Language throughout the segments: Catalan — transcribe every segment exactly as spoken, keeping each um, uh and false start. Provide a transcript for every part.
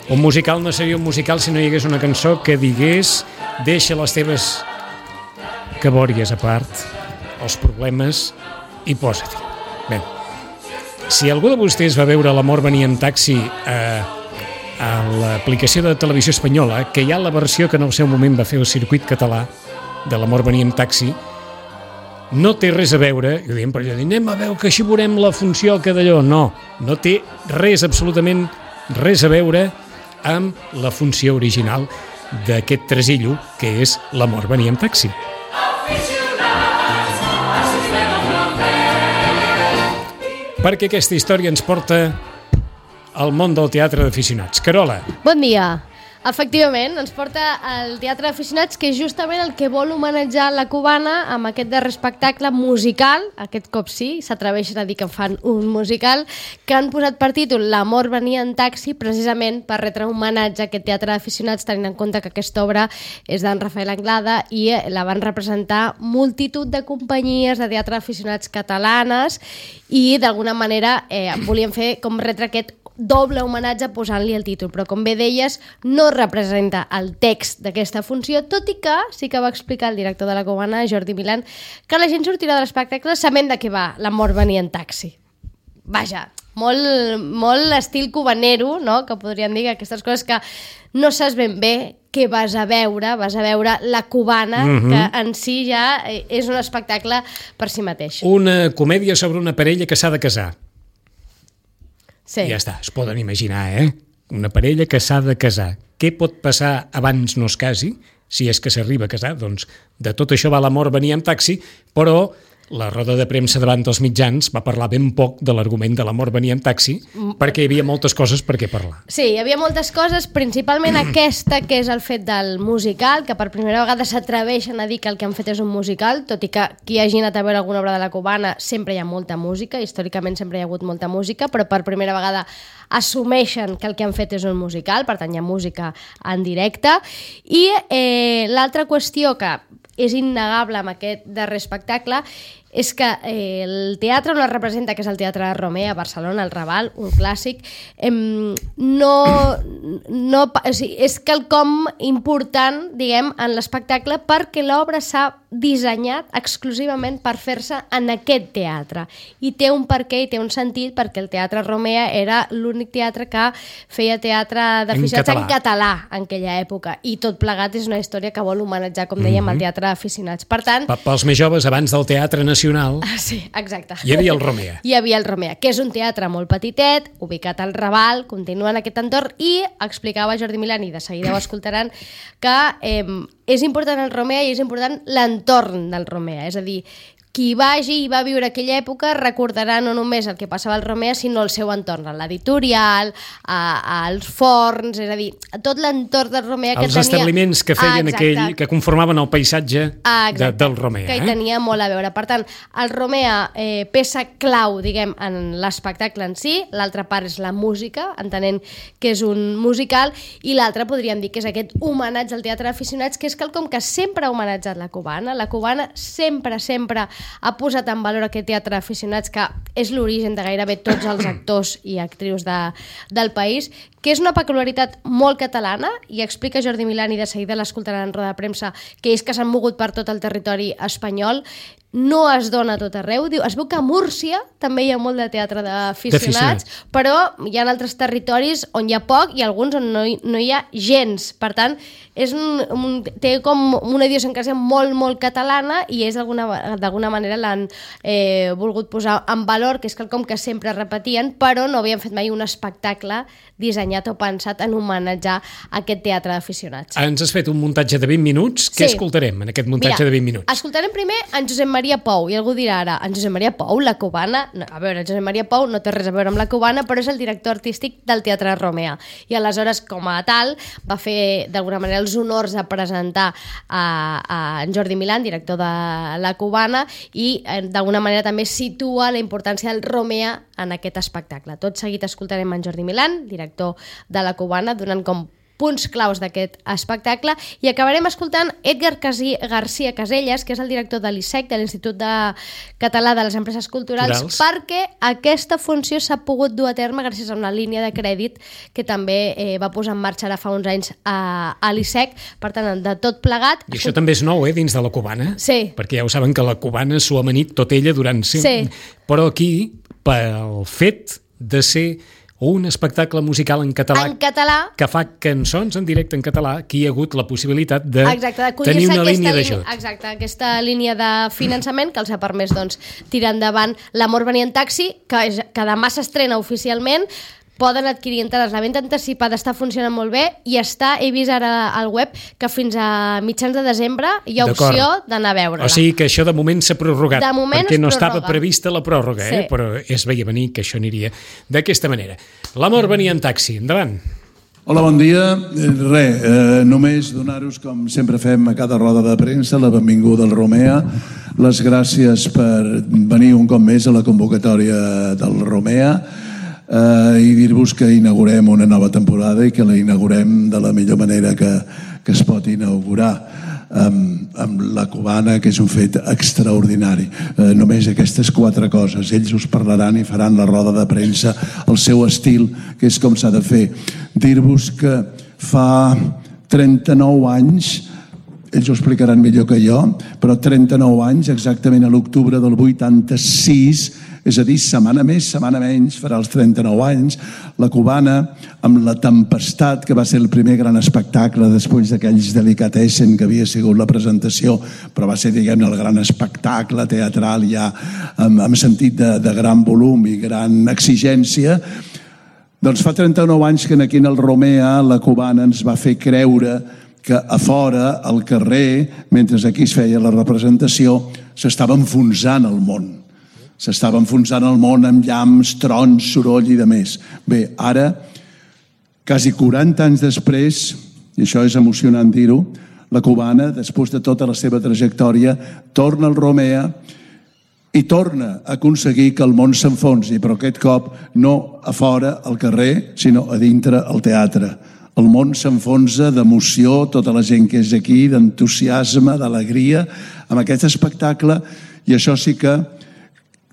Un musical no seria un musical si no hi hagués una cançó que digués deixa les teves cabòries a part, els problemes i posa-t'hi. Bé, si algú de vostès va veure L'amor venia en taxi a, a l'aplicació de televisió espanyola, que hi ha la versió que en el seu moment va fer el circuit català de L'amor venia en taxi, no té res a veure, i ho diem per allò, anem a veure que així veurem la funció que d'allò. No, no té res, absolutament res a veure amb la funció original d'aquest tresillo, que és L'amor venia en taxi. Perquè aquesta història ens porta al món del teatre d'aficionats. Carola. Bon dia. Efectivament, ens porta al Teatre d'Aficionats, que és justament el que vol homenatjar la cubana amb aquest darrer espectacle musical, aquest cop sí, s'atreveixen a dir que fan un musical, que han posat per títol L'amor venia en taxi, precisament per retre un homenatge a aquest Teatre d'Aficionats, tenint en compte que aquesta obra és d'en Rafael Anglada i la van representar multitud de companyies de teatre d'aficionats catalanes i d'alguna manera eh, volien fer com retre aquest doble homenatge posant-li el títol, però com bé deies, no representa el text d'aquesta funció, tot i que sí que va explicar el director de la cubana, Jordi Milán, que la gent sortirà de l'espectacle sabent de què va L'amor venia en taxi. Vaja, molt, molt estil cubanero, no? Que podríem dir que aquestes coses que no saps ben bé què vas a veure, vas a veure la cubana, mm-hmm. que en si ja és un espectacle per si mateix. Una comèdia sobre una parella que s'ha de casar. Sí. I ja està, es poden imaginar, eh? Una parella que s'ha de casar. Què pot passar abans no es casi? Si és que s'arriba a casar, doncs de tot això va L'amor venia en taxi, però la roda de premsa davant dels mitjans va parlar ben poc de l'argument de L'amor venia en taxi, perquè hi havia moltes coses per què parlar. Sí, hi havia moltes coses, principalment aquesta, que és el fet del musical, que per primera vegada s'atreveixen a dir que el que han fet és un musical, tot i que qui hagi anat a veure alguna obra de la cubana sempre hi ha molta música, històricament sempre hi ha hagut molta música, però per primera vegada assumeixen que el que han fet és un musical, per tant hi ha música en directe. I eh, l'altra qüestió que és innegable amb aquest darrer espectacle és que eh, el teatre on es representa, que és el Teatre de Romea a Barcelona, el Raval, un clàssic, eh, no, no, o sigui, és quelcom important, diguem, en l'espectacle, perquè l'obra s'ha dissenyat exclusivament per fer-se en aquest teatre. I té un perquè i té un sentit, perquè el Teatre Romea era l'únic teatre que feia teatre d'aficionats en, en català en aquella època. I tot plegat és una història que vol homenatjar, com dèiem, mm-hmm. el Teatre d'aficionats. Per tant... Pels més joves, abans del Teatre Nacional, Ah, sí, exacte. Hi havia el Romea. Hi havia el Romea, que és un teatre molt petitet, ubicat al Raval, continua en aquest entorn, i explicava Jordi Milán, i de seguida ho escoltaran, que eh, és important el Romea i és important l'entorn del Romea, és a dir, qui vagi i va viure aquella època recordarà no només el que passava al Romea, sinó el seu entorn, l'editorial, als forns, és a dir, tot l'entorn del Romea que els tenia... Els establiments que feien ah, aquell, que conformaven el paisatge ah, de, del Romea. Que hi eh? tenia molt a veure. Per tant, el Romea, eh, peça clau, diguem, en l'espectacle en si, l'altra part és la música, entenent que és un musical, i l'altra podríem dir que és aquest homenatge al teatre d'aficionats, que és quelcom que sempre ha homenatjat la cubana. La cubana sempre, sempre ha posat en valor aquest teatre d'aficionats, que és l'origen de gairebé tots els actors i actrius de, del país, que és una peculiaritat molt catalana, i explica Jordi Milán, i de seguida l'escoltaran en roda de premsa, que és que s'han mogut per tot el territori espanyol, no es dona a tot arreu. Diu, es veu que a Múrcia també hi ha molt de teatre d'aficionats, però hi ha altres territoris on hi ha poc i alguns on no hi, no hi ha gens. Per tant, és un, un, té com una idiosincràsia molt, molt catalana, i és d'alguna manera l'han eh, volgut posar en valor, que és quelcom que sempre repetien, però no havien fet mai un espectacle dissenyat o pensat en homenatjar aquest teatre d'aficionats. Ens has fet un muntatge de vint minuts. Què sí. escoltarem en aquest muntatge Mira, de vint minuts? Escoltarem primer en Josep Maria Pou, i algú dirà ara, en Josep Maria Pou, la cubana? No, a veure, Josep Maria Pou no té res a veure amb la cubana, però és el director artístic del Teatre Romea, i aleshores, com a tal, va fer d'alguna manera els honors de presentar a, a en Jordi Milán, director de la cubana, i d'alguna manera també situa la importància del Romea en aquest espectacle. Tot seguit escoltarem en Jordi Milán, director de la cubana, donant com punts claus d'aquest espectacle, i acabarem escoltant Edgar Casi- García Caselles, que és el director de l'I S E C, de l'Institut de Català de les Empreses Culturals, Culturals. perquè aquesta funció s'ha pogut dur a terme gràcies a una línia de crèdit que també eh, va posar en marxa ara fa uns anys a, a l'I S E C. Per tant, de tot plegat... I això també és nou, eh, dins de la cubana. Sí. Perquè ja ho saben que la cubana s'ho ha amanit tot ella durant... Sí. Però aquí, pel fet de ser un espectacle musical en català, En català, que fa cançons en directe en català, aquí hi ha hagut la possibilitat de exacte, d'acollir-se tenir una aquesta línia línia- d'ajut. Exacte, aquesta línia de finançament que els ha permès doncs, tirar endavant L'amor venia en taxi, que, és- que demà s'estrena oficialment. Poden adquirir entrades. La venda anticipada està funcionant molt bé i està, he vist ara al web, que fins a mitjans de desembre hi ha D'acord. opció d'anar a veure-la. O sigui que això de moment s'ha prorrogat, De moment perquè es no prorroga. estava prevista la pròrroga, eh? Sí. Però es veia venir que això aniria d'aquesta manera. L'amor venia en taxi. Endavant. Hola, bon dia. Eh, Res, eh, només donar-vos, com sempre fem a cada roda de premsa, la benvinguda al Romea, les gràcies per venir un cop més a la convocatòria del Romea, eh, i dir-vos que inaugurem una nova temporada i que la inaugurem de la millor manera que, que es pot inaugurar, amb, amb la cubana, que és un fet extraordinari. Eh, només aquestes quatre coses. Ells us parlaran i faran la roda de premsa al seu estil, que és com s'ha de fer. Dir-vos que fa trenta-nou anys, ells ho explicaran millor que jo, però trenta-nou anys, exactament a l'octubre del vuitanta-sis, és a dir, setmana més, setmana menys, farà els trenta-nou anys, la cubana, amb La Tempestat, que va ser el primer gran espectacle després d'aquells delicatessen que havia sigut la presentació, però va ser, diguem-ne, el gran espectacle teatral ja amb, amb sentit de, de gran volum i gran exigència. Doncs fa trenta-nou anys que aquí en el Romea la cubana ens va fer creure que a fora, al carrer, mentre aquí es feia la representació, s'estava enfonsant el món. S'estava enfonsant el món amb llamps, trons, soroll i de més. Bé, ara, quasi quaranta anys després, i això és emocionant dir-ho, la cubana, després de tota la seva trajectòria, torna al Romea i torna a aconseguir que el món s'enfonsi, però aquest cop no a fora, al carrer, sinó a dintre, al teatre. El món s'enfonsa d'emoció, tota la gent que és aquí, d'entusiasme, d'alegria, amb aquest espectacle, i això sí que,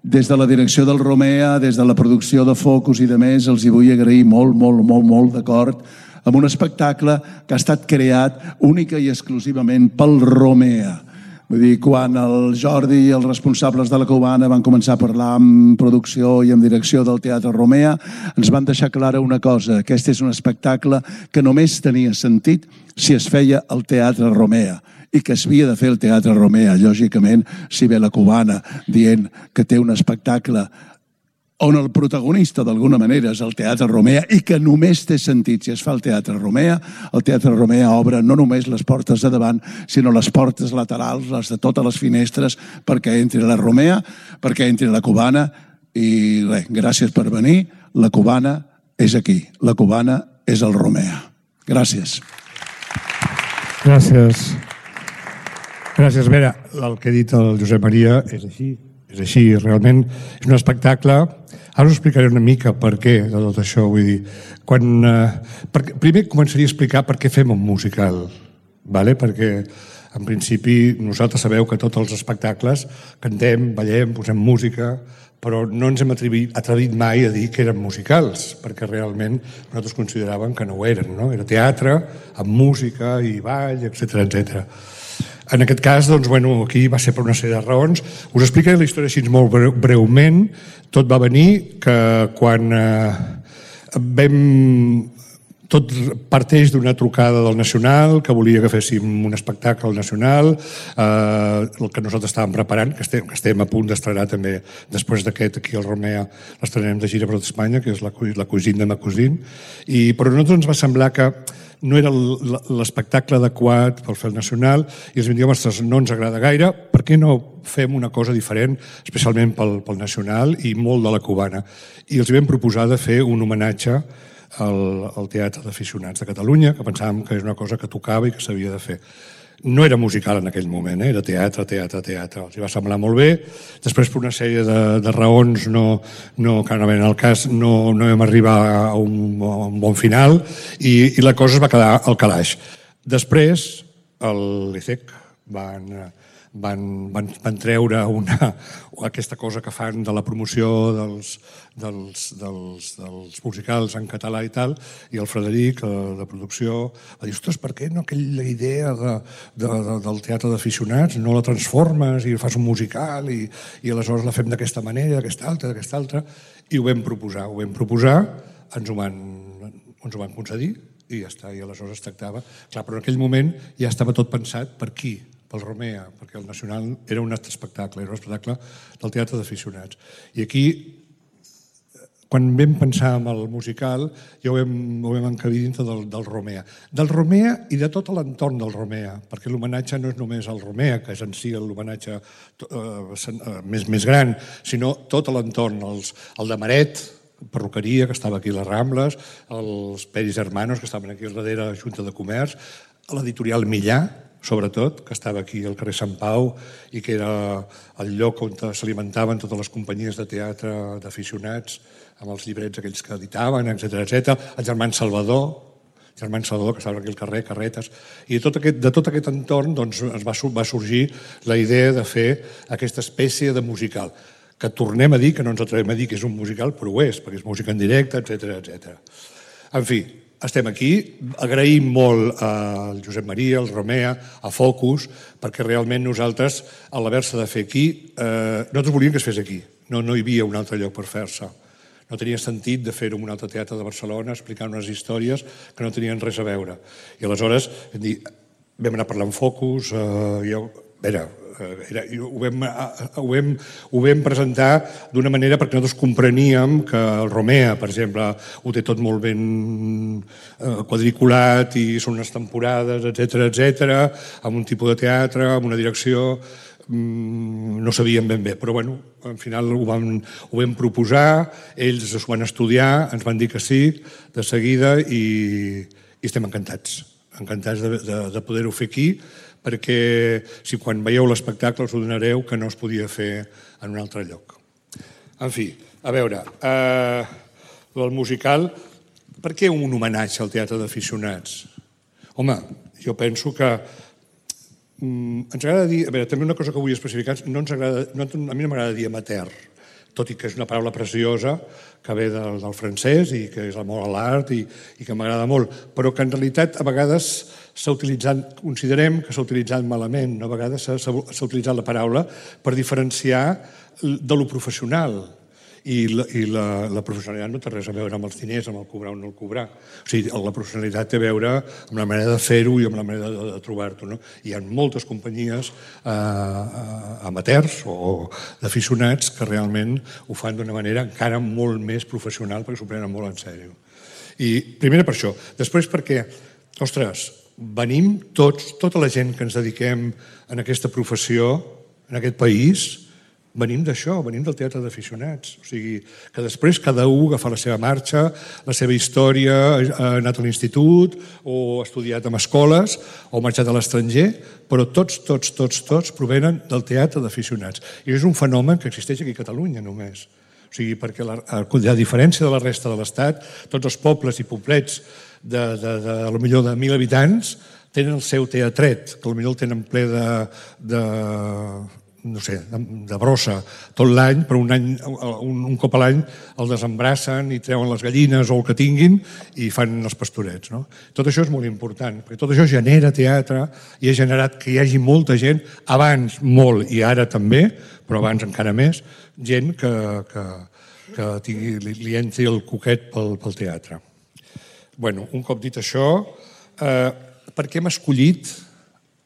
des de la direcció del Romea, des de la producció de Focus i de més, els hi vull agrair molt, molt, molt, molt d'acord, amb un espectacle que ha estat creat única i exclusivament pel Romea. Vull dir, quan el Jordi i els responsables de la cubana van començar a parlar amb producció i amb direcció del Teatre Romea, ens van deixar clara una cosa: aquest és un espectacle que només tenia sentit si es feia al Teatre Romea, i que s'havia de fer el Teatre Romea. Lògicament, si ve la cubana dient que té un espectacle on el protagonista d'alguna manera és el Teatre Romea i que només té sentit si es fa el Teatre Romea, el Teatre Romea obre no només les portes de davant, sinó les portes laterals, les de totes les finestres, perquè entri la Romea, perquè entri la cubana. I res, gràcies per venir. La cubana és aquí. La cubana és el Romea. Gràcies. Gràcies. Gràcies. A veure, el que ha dit el Josep Maria és així. És així, realment és un espectacle. Ara us explicaré una mica per què de tot això. Vull dir, quan, eh, per, primer començaria a explicar per què fem un musical, vale? Perquè en principi nosaltres sabeu que tots els espectacles cantem, ballem, posem música, però no ens hem atrevit, atrevit mai a dir que eren musicals, perquè realment nosaltres consideràvem que no ho eren, no? Era teatre amb música i ball, etcètera, etcètera. En aquest cas, doncs, bueno, aquí va ser per una sèrie de raons. Us explicaré la història així molt breu, breument. Tot va venir que quan eh, vam... Tot parteix d'una trucada del Nacional, que volia que féssim un espectacle al Nacional, eh, el que nosaltres estàvem preparant, que estem, que estem a punt d'estrenar també, després d'aquest, aquí al Romea, l'estrenem de gira per tot Espanya, que és la, la Cosine de ma Cosine, i, però a nosaltres ens va semblar que no era l'espectacle adequat per fer el Nacional, i ens vam dir, ostres, no ens agrada gaire, per què no fem una cosa diferent, especialment pel, pel Nacional i molt de la cubana? I els vam proposar de fer un homenatge el, el Teatre d'Aficionats de Catalunya, que pensàvem que és una cosa que tocava i que s'havia de fer. No era musical en aquell moment, eh? Era teatre, teatre, teatre. Els va semblar molt bé. Després, per una sèrie de, de raons, no, no, que no en el cas no, no vam arribar a un, a un bon final i, i la cosa es va quedar al calaix. Després, el l'I C E C van... Van, van, van treure una, aquesta cosa que fan de la promoció dels, dels, dels, dels musicals en català i tal, i el Frederic, de producció, va dir, ostres, per què no aquella idea de, de, de, del teatre d'aficionats no la transformes i fas un musical i, i aleshores la fem d'aquesta manera, d'aquesta altra, d'aquesta altra, i ho vam proposar, ho vam proposar, ens ho van, ens ho van concedir i ja està, i aleshores es tractava. Clar, però en aquell moment ja estava tot pensat per qui? Pel Romea, perquè el Nacional era un altre espectacle, era un espectacle del teatre d'aficionats. I aquí, quan vam pensar en el musical, ja ho vam, ho vam encabir dintre del, del Romea. Del Romea i de tot l'entorn del Romea, perquè l'homenatge no és només al Romea, que és en si l'homenatge eh, més, més gran, sinó tot l'entorn, els, el de Maret, perruqueria, que estava aquí a les Rambles, els Peris Hermanos, que estaven aquí al darrere de la Junta de Comerç, l'editorial Millà, sobretot, que estava aquí al carrer Sant Pau i que era el lloc on s'alimentaven totes les companyies de teatre d'aficionats amb els llibrets aquells que editaven, etcètera, etcètera. El germà Salvador, el germà Salvador, que estava aquí al carrer, Carretes, i de tot aquest, de tot aquest entorn doncs, es va, va sorgir la idea de fer aquesta espècie de musical, que tornem a dir, que no ens atrevem a dir que és un musical, però ho és, perquè és música en directe, etcètera, etcètera. En fi, estem aquí, agraïm molt al Josep Maria, al Romea, a Focus, perquè realment nosaltres, a l'haver-se de fer aquí, eh, nosaltres volíem que es fes aquí, no, no hi havia un altre lloc per fer-se. No tenia sentit de fer-ho en un altre teatre de Barcelona, explicar unes històries que no tenien res a veure. I aleshores vam anar parlant amb Focus, eh, jo, a veure, Era, ho, vam, ho, vam, ho vam presentar d'una manera perquè nosaltres compreníem que el Romea, per exemple, ho té tot molt ben quadriculat i són unes temporades, etcètera, etcètera, amb un tipus de teatre, amb una direcció, no sabíem ben bé, però bueno, al final ho vam, ho vam proposar, ells ho van estudiar, ens van dir que sí, de seguida, i, i estem encantats, encantats de, de, de poder-ho fer aquí, perquè si quan veieu l'espectacle us ho donareu que no es podia fer en un altre lloc. En fi, a veure, eh, el musical, per què un homenatge al teatre d'aficionats? Home, jo penso que mm, ens agrada dir, a veure, també una cosa que vull especificar, no ens agrada, no, a mi no m'agrada dir amateur, tot i que és una paraula preciosa que ve del, del francès i que és l'amor a l'art i, i que m'agrada molt, però que en realitat a vegades s'ha utilitzat, considerem que s'ha utilitzat malament, no? A vegades s'ha utilitzat la paraula per diferenciar de lo professional i, la, i la, la professionalitat no té res a veure amb els diners, amb el cobrar o no el cobrar. O sigui, la professionalitat té a veure amb la manera de fer-ho i amb la manera de, de trobar-t'ho. No? Hi ha moltes companyies eh, amateurs o d'aficionats que realment ho fan d'una manera encara molt més professional perquè s'ho prenen molt en sèrio. I primera per això. Després perquè, ostres, venim tots, tota la gent que ens dediquem en aquesta professió, en aquest país, venim d'això, venim del teatre d'aficionats. O sigui, que després cada un agafa la seva marxa, la seva història, ha anat a l'institut o ha estudiat en escoles o ha marxat a l'estranger, però tots, tots, tots, tots provenen del teatre d'aficionats. I és un fenomen que existeix aquí a Catalunya només. O sigui, perquè la, a diferència de la resta de l'Estat, tots els pobles i poblets de, de, de, de, de millor de mil habitants tenen el seu teatret, que potser el tenen ple de, de, no sé, de, de brossa tot l'any, però un, any, un, un cop a l'any el desembrassen i treuen les gallines o el que tinguin i fan els pastorets. No? Tot això és molt important, perquè tot això genera teatre i ha generat que hi hagi molta gent, abans molt i ara també, però abans encara més, gent que, que, que tingui, li, li entri el coquet pel, pel teatre. Bueno, un cop dit això, eh, per què hem escollit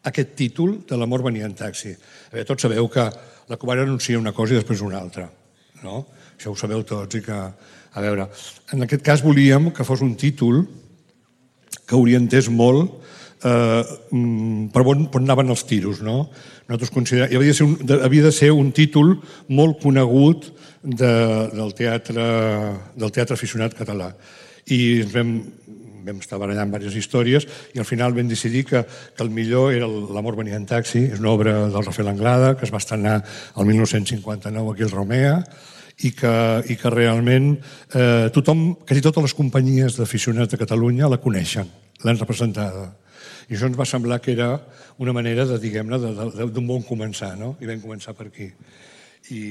aquest títol de l'amor venia en taxi? A veure, tots sabeu que la Cubana anuncia una cosa i després una altra, no? Això ho sabeu tots i que, a veure, en aquest cas volíem que fos un títol que orientés molt eh, per on, on anaven els tiros, no? Nosaltres considerem, havia de ser un, havia de ser un títol molt conegut de, del, teatre, del teatre aficionat català. i ens vam, vam estar barallant diverses històries i al final vam decidir que, que el millor era L'amor venia en taxi, és una obra del Rafael Anglada que es va estrenar el mil nou-cents cinquanta-nou aquí al Romea i que, i que realment eh, tothom, quasi totes les companyies d'aficionats de Catalunya la coneixen, l'han representada. I això ens va semblar que era una manera de, diguem-ne, d'un bon començar, no? I vam començar per aquí. I,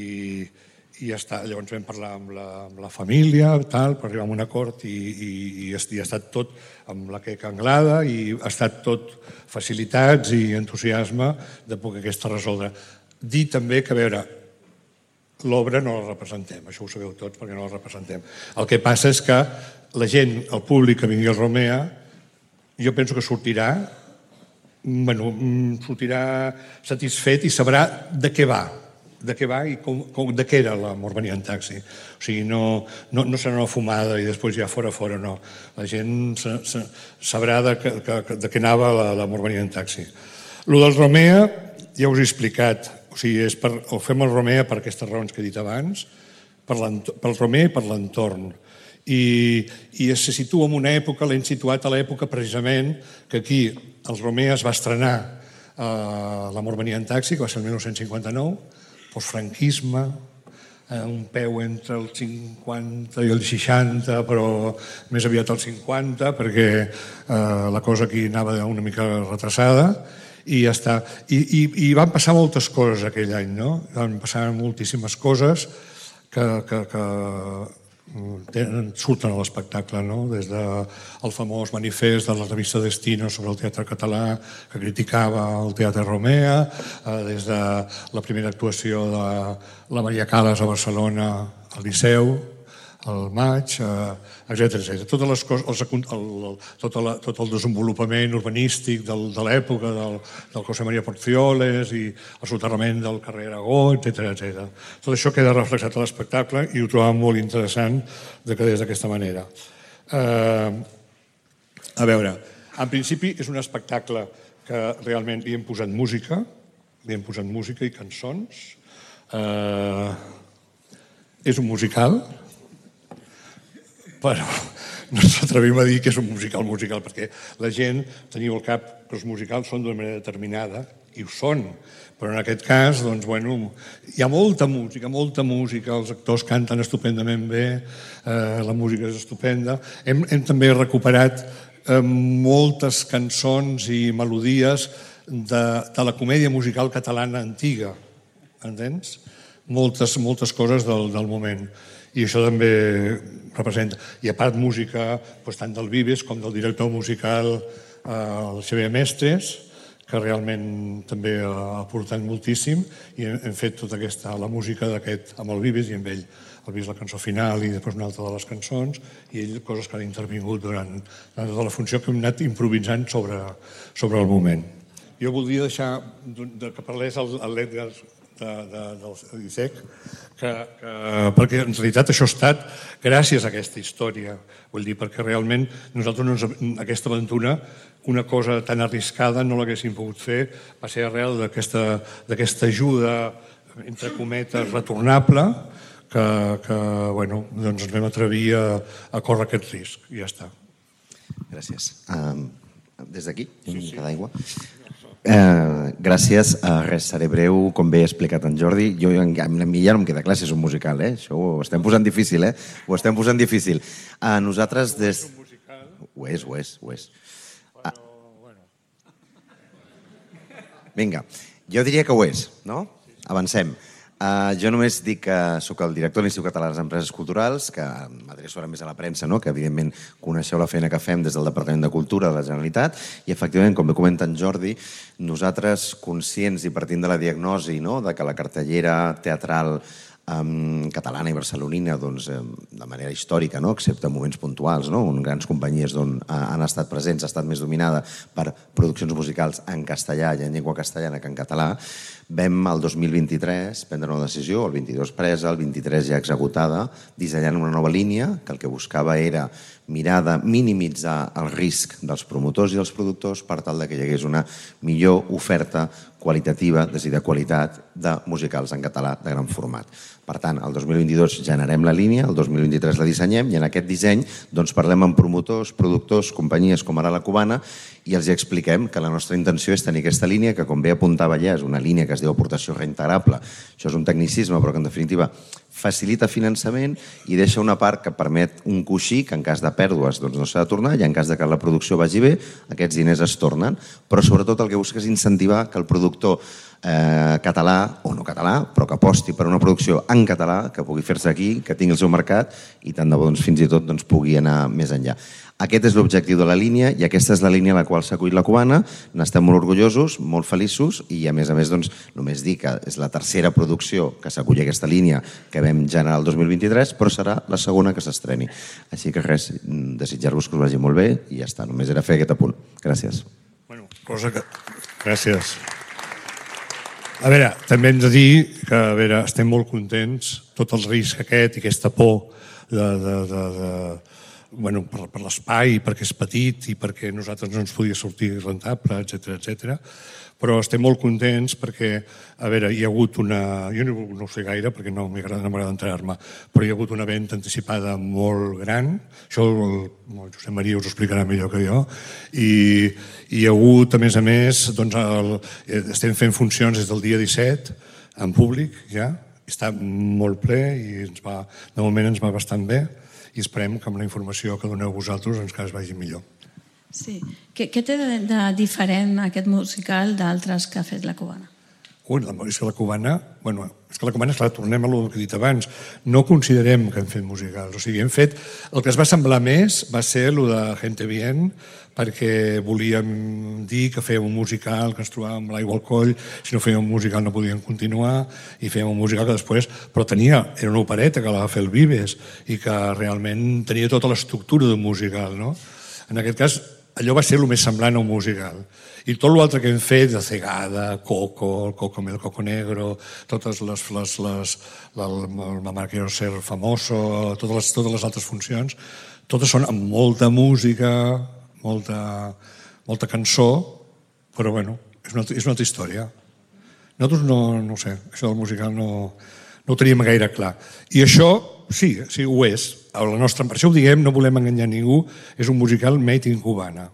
i ja està. Llavors vam parlar amb la, amb la família, tal, per arribar a un acord i, i, i ha estat tot amb la queca Anglada i ha estat tot facilitats i entusiasme de poder aquesta resoldre. Dir també que, a veure, l'obra no la representem, això ho sabeu tots perquè no la representem. El que passa és que la gent, el públic que vingui al Romea, jo penso que sortirà, bueno, sortirà satisfet i sabrà de què va, de què va i com, com, de què era l'amor venia en taxi. O sigui, no, no, no serà una fumada i després ja fora, fora, no. La gent sa, sa, sabrà de, que, que, de què anava l'amor venia en taxi. Lo del Romea, ja us he explicat, o sigui, és per, ho fem al Romea per aquestes raons que he dit abans, per pel Romea i per l'entorn. I, i se situa en una època, l'hem situat a l'època precisament que aquí el Romea es va estrenar eh, l'amor venia en taxi, que va ser el mil nou-cents cinquanta-nou, postfranquisme, eh, un peu entre el cinquanta i el seixanta, però més aviat el cinquanta, perquè eh, la cosa aquí anava una mica retrasada, i ja està. I, i, i van passar moltes coses aquell any, no? Van passar moltíssimes coses que, que, que surten a l'espectacle, no? Des del famós manifest de la revista Destino sobre el teatre català que criticava el Teatre Romea, des de la primera actuació de la Maria Calas a Barcelona al Liceu, al maig, etcètera, etcètera. Totes les coses, el, el, tot, el, tot el desenvolupament urbanístic del, de l'època del, del José María Porcioles i el soterrament del carrer Aragó, etcètera, etcètera. Tot això queda reflexat a l'espectacle i ho trobàvem molt interessant de que des d'aquesta manera. Eh, a veure, en principi és un espectacle que realment li hem posat música, li hem posat música i cançons. Eh, és un musical, però no ens atrevim a dir que és un musical musical, perquè la gent teniu al cap que els musicals són d'una manera determinada, i ho són, però en aquest cas, doncs, bueno, hi ha molta música, molta música, els actors canten estupendament bé, eh, la música és estupenda. Hem, hem també recuperat eh, moltes cançons i melodies de, de la comèdia musical catalana antiga, entens? Moltes, moltes coses del, del moment. I això també representa. I a part música doncs, tant del Vives com del director musical eh, el Xavier Mestres, que realment també ha aportat moltíssim i hem fet tota aquesta, la música d'aquest amb el Vives i amb ell. El Vives la cançó final i després una altra de les cançons i ell coses que han intervingut durant tota la funció que hem anat improvisant sobre, sobre el moment. Jo voldria deixar de, que parlés el, el l'Edgar de, de, del ISEC, que, que, perquè en realitat això ha estat gràcies a aquesta història. Vull dir, perquè realment nosaltres no ens, aquesta aventura, una cosa tan arriscada no l'haguéssim pogut fer, va ser arrel d'aquesta ajuda, entre cometes, retornable, que, que bueno, doncs ens vam atrevir a, a córrer aquest risc, i ja està. Gràcies. Um, des d'aquí, una sí, mica sí. d'aigua. Eh, gràcies, uh, res, seré breu, com bé ha explicat en Jordi. Jo, a mi ja no em queda clar si és un musical, eh? Això ho estem posant difícil, eh? Ho estem posant difícil. A uh, nosaltres des... Ho és, ho és, ho és. Ah. Vinga, jo diria que ho és, no? Avancem. Uh, jo només dic que sóc el director de l'Institut Català de les Empreses Culturals, que m'adreço ara més a la premsa, no? Que evidentment coneixeu la feina que fem des del Departament de Cultura de la Generalitat i efectivament, com bé comenta en Jordi, nosaltres conscients i partint de la diagnosi, no? De que la cartellera teatral um, catalana i barcelonina doncs, um, de manera històrica, no? Excepte moments puntuals, no? On grans companyies uh, han estat presents, ha estat més dominada per produccions musicals en castellà i en llengua castellana que en català. Vam, el dos mil vint-i-tres, prendre una decisió, el vint-i-dos presa, el vint-i-tres ja executada, dissenyant una nova línia que el que buscava era mirar de minimitzar el risc dels promotors i els productors per tal que hi hagués una millor oferta qualitativa, és a dir, de qualitat de musicals en català de gran format. Per tant, el dos mil vint-i-dos generem la línia, el dos mil vint-i-tres la dissenyem i en aquest disseny doncs, parlem amb promotors, productors, companyies com ara la Cubana i els expliquem que la nostra intenció és tenir aquesta línia que, com bé apuntava ja, és una línia que es diu aportació reintegrable. Això és un tecnicisme, però que en definitiva facilita finançament i deixa una part que permet un coixí que en cas de pèrdues doncs, no s'ha de tornar i en cas de que la producció vagi bé, aquests diners es tornen. Però sobretot el que busca és incentivar que el productor eh, català o no català, però que aposti per una producció en català, que pugui fer-se aquí, que tingui el seu mercat i tant de bo doncs, fins i tot doncs, pugui anar més enllà. Aquest és l'objectiu de la línia i aquesta és la línia a la qual s'ha acollit la Cubana. N'estem molt orgullosos, molt feliços i a més a més doncs, només dir que és la tercera producció que s'acull aquesta línia que vam generar el dos mil vint-i-tres, però serà la segona que s'estreni. Així que res, desitjar-vos que us vagi molt bé i ja està, només era fer aquest apunt. Gràcies. Bueno, cosa que... Gràcies. A veure, també hem de dir que a veure, estem molt contents, tot el risc aquest i aquesta por de... de, de, de bueno, per, per l'espai, perquè és petit i perquè nosaltres no ens podia sortir rentable, etcètera, etcètera. Però estem molt contents perquè, a veure, hi ha hagut una... Jo no, no ho sé gaire perquè no m'agrada no m'agrada entrar-me, però hi ha hagut una venda anticipada molt gran, això el, el Josep Maria us ho explicarà millor que jo, i, i hi ha hagut, a més a més, doncs el, estem fent funcions des del dia disset, en públic ja, està molt ple i ens va, de moment ens va bastant bé, i esperem que amb la informació que doneu vosaltres ens que es vagi millor. Sí. Què, què té de, de diferent aquest musical d'altres que ha fet la Cubana? Ui, és que la Cubana, bueno, és que la Cubana, esclar, tornem a el que he dit abans, no considerem que hem fet musicals, o sigui, hem fet, el que es va semblar més va ser el de Gente Bien, perquè volíem dir que fèiem un musical, que ens trobàvem amb l'aigua al coll, si no fèiem un musical no podíem continuar, i fèiem un musical que després, però tenia, era una opereta que la va fer el Vives, i que realment tenia tota l'estructura d'un musical, no? En aquest cas, allò va ser el més semblant a un musical. I tot l'altre que hem fet, de Cegada, Coco, el Coco el Coco Negro, totes les, les, les el Mamá quiero ser famoso, totes les, totes les altres funcions, totes són amb molta música, molta, molta cançó, però bueno, és una, és una altra història. Nosaltres no, no ho sé, això del musical no, no ho teníem gaire clar. I això, sí, sí, ho és. A la nostra, per això ho diguem, no volem enganyar ningú, és un musical made in Cubana.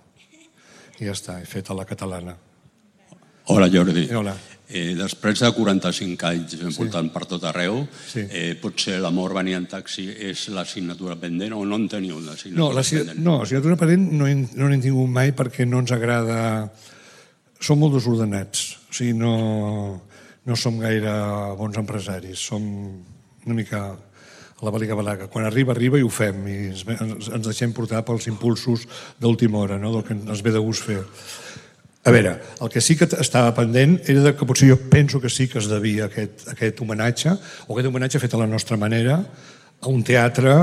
I ja està, he fet a la catalana. Hola, Jordi. Hola. Eh, després de quaranta-cinc anys voltant sí. per tot arreu, sí. eh, potser l'amor venir en taxi és l'assignatura pendent o no en teniu l'assignatura no, la, pendent? No, l'assignatura pendent no n'hem tingut mai perquè no ens agrada... Som molt desordenats, o sigui, no, no som gaire bons empresaris, som una mica a la baliga-balaga. Quan arriba, arriba i ho fem, i ens, ens deixem portar pels impulsos d'última hora, no? Del que ens ve de gust fer. A veure, el que sí que estava pendent era que potser jo penso que sí que es devia aquest, aquest homenatge, o aquest homenatge fet a la nostra manera, a un teatre,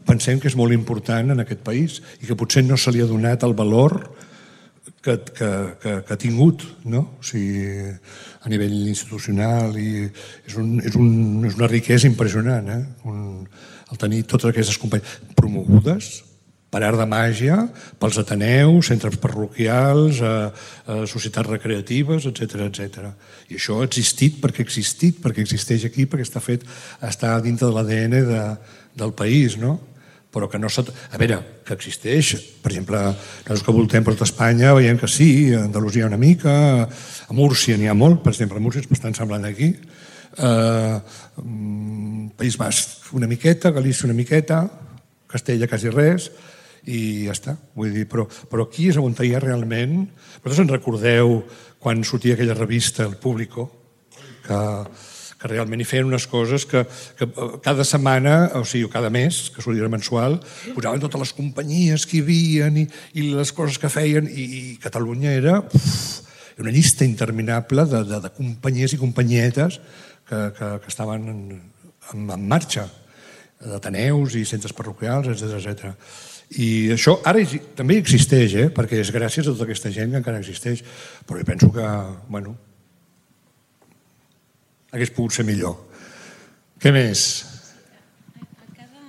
pensem que és molt important en aquest país i que potser no se li ha donat el valor que, que, que, que ha tingut, no? O sigui, a nivell institucional, i és, un, és, un, és una riquesa impressionant, eh? Un, el tenir totes aquestes companyies promogudes per art de màgia, pels ateneus, centres parroquials, eh, eh, societats recreatives, etcètera, etcètera. I això ha existit perquè ha existit, perquè existeix aquí, perquè està fet, està dintre de l'A D N de, del país, no? Però que no s'ha... A veure, que existeix. Per exemple, nosaltres que voltem per tota Espanya veiem que sí, a Andalusia una mica, a Múrcia n'hi ha molt, per exemple, a Múrcia és bastant semblant aquí, eh, País Basc una miqueta, Galícia una miqueta, Castella quasi res, i ja està, vull dir, però, però aquí és on hi ha realment... Vosaltres en recordeu quan sortia aquella revista, El Público, que, que realment hi feien unes coses que, que cada setmana, o sigui, cada mes, que sortia mensual, posaven totes les companyies que hi havia i, i les coses que feien, i, i Catalunya era uf, una llista interminable de, de, de companyies i companyietes que, que, que estaven en, en, en marxa, d'ateneus i centres parroquials, etcètera, etcètera. I això ara també existeix, eh? Perquè és gràcies a tota aquesta gent que encara existeix, però jo penso que, bueno, hagués pogut ser millor. Què més? A cada,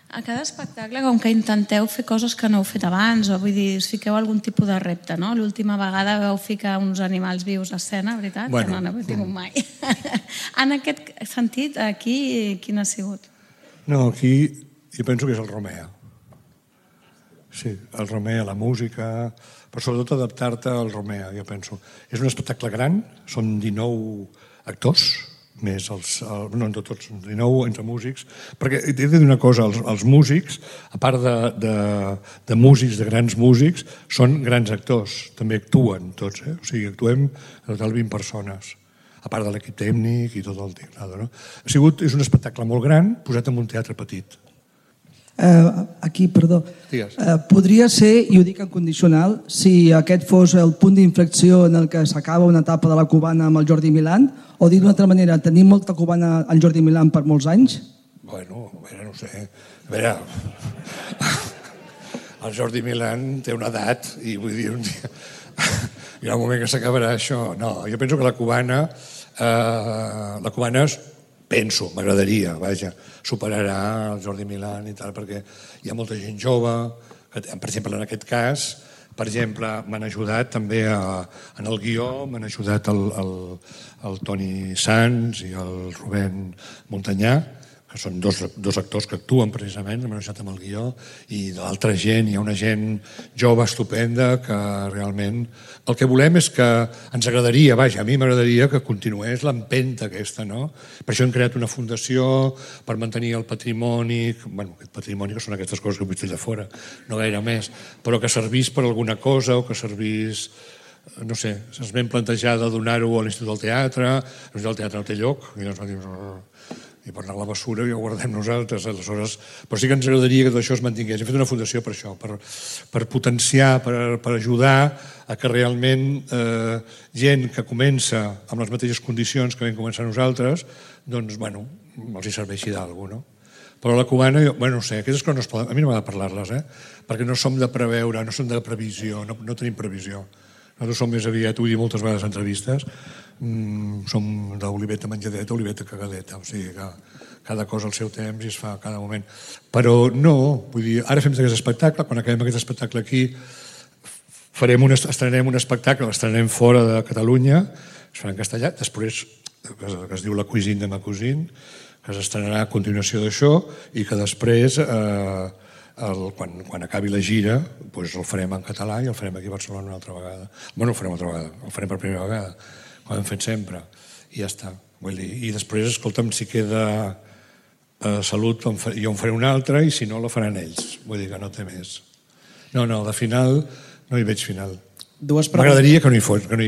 A cada espectacle, com que intenteu fer coses que no heu fet abans, o vull dir, us fiqueu algun tipus de repte, no? L'última vegada vau ficar uns animals vius a escena, veritat? Bueno. Que no n'heu tingut mai. En aquest sentit, aquí, quin ha sigut? No, aquí jo penso que és el Romea. Sí, el Romea, la música, però sobretot adaptar-te al Romea, jo penso. És un espectacle gran, són dinou actors, més els, el, no entre tots, dinou entre músics, perquè he de dir una cosa, els, els músics, a part de, de, de músics, de grans músics, són grans actors, també actuen tots, eh? O sigui, actuem en total vint persones, a part de l'equip tècnic i tot el teclado, no? Ha sigut, és un espectacle molt gran, posat en un teatre petit. Uh, aquí, perdó. Uh, podria ser, i ho dic en condicional, si aquest fos el punt d'inflexió en el que s'acaba una etapa de la cubana amb el Jordi Milán, o dit d'una altra manera, tenim molta cubana al Jordi Milán per molts anys? Bueno, a veure, no sé. A veure, el Jordi Milán té una edat i vull dir, un dia, hi ha un moment que s'acabarà això. No, jo penso que la cubana, eh, la cubana és, penso, m'agradaria, vaja, superarà el Jordi Milán i tal, perquè hi ha molta gent jove, que, per exemple, en aquest cas, per exemple, m'han ajudat també a, en el guió, m'han ajudat el, el, el Toni Sans i el Rubén Montanyà, que són dos, dos actors que actuen precisament, m'han ajudat amb el guió, i de l'altra gent, hi ha una gent jove estupenda que realment el que volem és que ens agradaria, vaja, a mi m'agradaria que continués l'empenta aquesta, no? Per això hem creat una fundació per mantenir el patrimoni, bueno, aquest patrimoni que són aquestes coses que vull dir de fora, no gaire més, però que servís per alguna cosa o que servís, no sé, ens vam plantejar de donar-ho a l'Institut del Teatre, l'Institut del Teatre no té lloc, i ens va dir, i per anar a la bessura i ho guardem nosaltres, aleshores, però sí que ens agradaria que tot això es mantingués. Hem fet una fundació per això, per, per potenciar, per, per ajudar a que realment eh, gent que comença amb les mateixes condicions que vam començar nosaltres, doncs, bueno, els hi serveixi d'alguna, no? Però la cubana, jo, bueno, no sé, aquestes coses no es poden, a mi no m'ha de parlar-les, eh? Perquè no som de preveure, no som de previsió, no, no tenim previsió. Nosaltres som més aviat, ho he dit moltes vegades en entrevistes, mm, som d'oliveta menjadeta, oliveta cagadeta, o sigui que cada cosa al seu temps i es fa a cada moment. Però no, vull dir, ara fem aquest espectacle, quan acabem aquest espectacle aquí, farem un, estrenarem un espectacle, l'estrenarem fora de Catalunya, es farà en castellà, després, que es, que es diu La cuisine de ma cousine, que s'estrenarà a continuació d'això i que després... Eh, El, quan, quan acabi la gira doncs el farem en català i el farem aquí a Barcelona una altra vegada. Bueno, el farem una altra vegada, el farem per primera vegada, com hem fet sempre, i ja està. Vull dir, i després, escolta'm, si queda eh, salut, jo en faré una altra i si no, la faran ells. Vull dir que no té més. No, no, de final no hi veig final. M'agradaria que no hi fos, que no hi